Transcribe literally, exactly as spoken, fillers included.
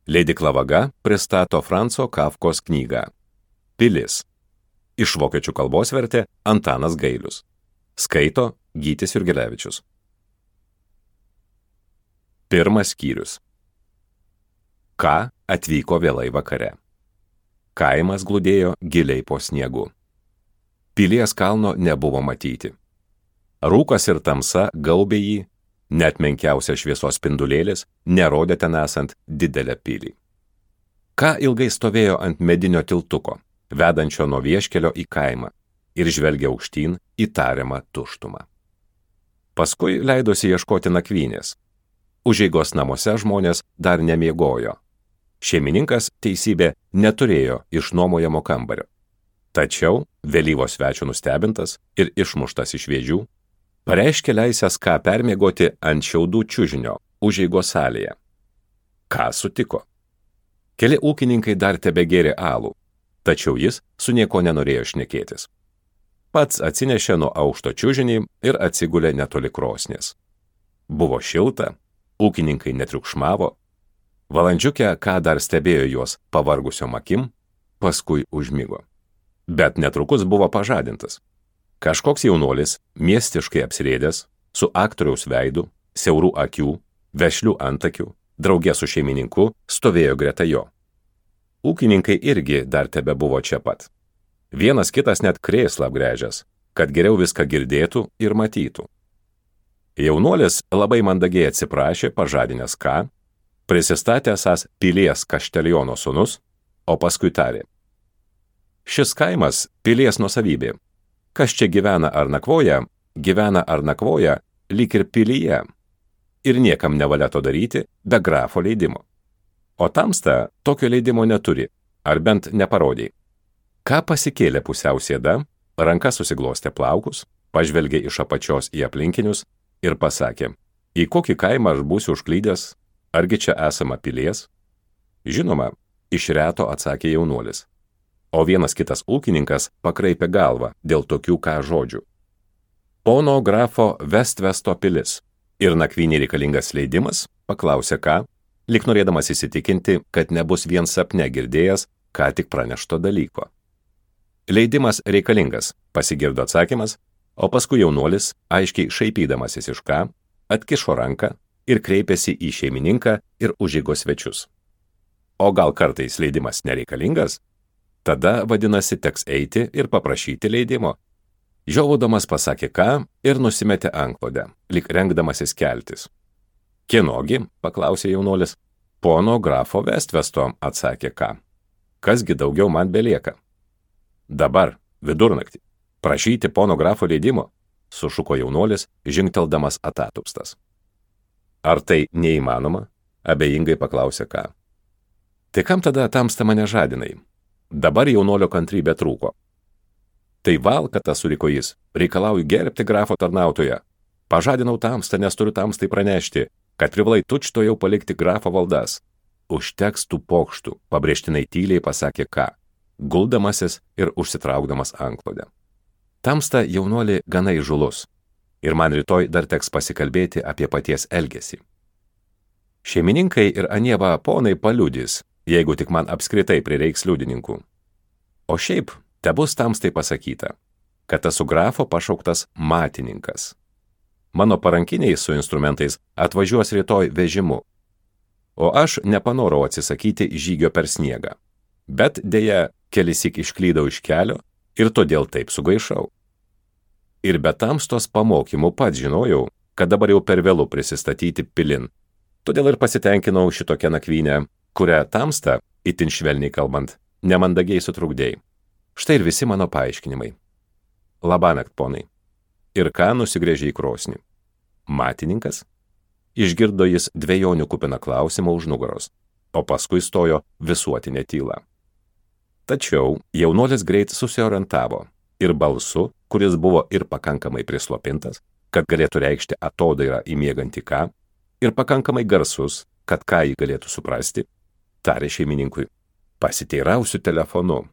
Leidykla Vaga pristato Franco Kafkos knygą Pilis. Iš vokiečių kalbos vertė Antanas Gailius. Skaito Gytis Jurgelevičius. Pirmas skyrius. Ka atvyko vėlai vakare. Kaimas glūdėjo giliai po sniegu. Pilies kalno nebuvo matyti. Rūkas ir tamsa gaubė jį, net menkiausia šviesos spindulėlis nerodė ten esant didelę pilį. Ka ilgai stovėjo ant medinio tiltuko, vedančio nuo vieškelio į kaimą, ir žvelgė aukštyn į tariamą tuštumą. Paskui leidosi ieškoti nakvynės. Užeigos namuose žmonės dar nemiegojo. Šeimininkas, teisybė, neturėjo išnuomojamo kambario. Tačiau, vėlyvo svečio nustebintas ir išmuštas iš vėžių, pareiškė leisęs Ką permiegoti ant šiaudų čiužinio užeigos salėje. Ką sutiko. Keli ūkininkai dar tebegėrė alų, tačiau jis su nieko nenorėjo šnekėtis. Pats atsinešė nuo aukšto čiužinį ir atsigulė netoli krosnies. Buvo šilta, ūkininkai netriukšmavo. Valandžiukę Ką dar stebėjo juos pavargusiom akim, paskui užmigo. Bet netrukus buvo pažadintas. Kažkoks jaunuolis, miestiškai apsirėdęs, su aktoriaus veidu, siaurų akių, vešlių antakių, draugė su šeimininku, stovėjo greta jo. Ūkininkai irgi dar tebe buvo čia pat. Vienas kitas net krėslą apgręžęs, kad geriau viską girdėtų ir matytų. Jaunuolis labai mandagiai atsiprašė, pažadinęs Ką, prisistatė esąs Pilies kašteliono sūnus, o paskui tarė: Šis kaimas Pilies nuosavybė. Kas čia gyvena ar nakvoja, gyvena ar nakvoja, lyg ir pilyje. Ir niekam nevalia to daryti be grafo leidimo. O tamsta tokio leidimo neturi, ar bent neparodė. Ką pasikėlė pusiau sėda, ranka susiglostė plaukus, pažvelgė iš apačios į aplinkinius ir pasakė: Į kokį kaimą aš būsiu užklydęs, argi čia esama Pilies? Žinoma, iš reto atsakė jaunuolis. O vienas kitas ūkininkas pakraipė galvą dėl tokių Ką žodžių. Pono grafo Vestvesto pilis. Ir nakvynė reikalingas leidimas, paklausė Ką, lyg norėdamas įsitikinti, kad nebus vien sapne girdėjęs ką tik pranešto dalyko. Leidimas reikalingas, pasigirdo atsakymas, o paskui jaunuolis, aiškiai šaipydamasis iš Ką, atkišo ranką ir kreipėsi į šeimininką ir užeigos svečius. O gal kartais leidimas nereikalingas? Tada, vadinasi, teks eiti ir paprašyti leidimo. Žiovaudamas pasakė Ką ir nusimetė antklodę, lyg rengdamasis keltis. Kienogi, paklausė jaunuolis. Pono grafo Vestvesto, atsakė Ką. Kasgi daugiau man belieka? Dabar, vidurnaktį, prašyti pono grafo leidimo, sušuko jaunuolis, žingteldamas atatupstas. Ar tai neįmanoma? Abejingai paklausė Ką. Tai kam tada tamsta mane žadinai? Dabar jaunuolio kantrybė trūko. Tai valkata, suriko jis, reikalauju gerbti grafo tarnautoją. Pažadinau tamstą, nes turiu tamstai pranešti, kad privalai tučto jau palikti grafo valdas. Užteks tų pokštų, pabrėžtinai tyliai pasakė Ką, guldamasis ir užsitraukdamas antklodę. Tamsta jaunuolį gana įžulus, ir man rytoj dar teks pasikalbėti apie paties elgesį. Šeimininkai ir anie va ponai paliudys, jeigu tik man apskritai prireiks liudininkų. O šiaip, tebus tamstai pasakyta, kad esu grafo pašauktas matininkas. Mano parankiniai su instrumentais atvažiuos rytoj vežimu, o aš nepanorau atsisakyti žygio per sniegą, bet dėja kelisik išklydau iš kelio ir todėl taip sugaišau. Ir be tamstos pamokymų pats žinojau, kad dabar jau per vėlu prisistatyti pilin, todėl ir pasitenkinau šitokią nakvynę, kurią tamsta, itin švelniai kalbant, nemandagiai sutrukdėjai. Štai ir visi mano paaiškinimai. Labanakt, ponai. Ir Ką nusigrėžė į krosnį. Matininkas? Išgirdo jis dvejonių kupiną klausimą už nugaros, o paskui stojo visuotinė tyla. Tačiau jaunuolis greit susiorientavo ir balsu, kuris buvo ir pakankamai prislopintas, kad galėtų reikšti atodairą į miegantį Ką, ir pakankamai garsus, kad Ką jį galėtų suprasti, tarė šeimininkui: Pasiteirausiu telefonu,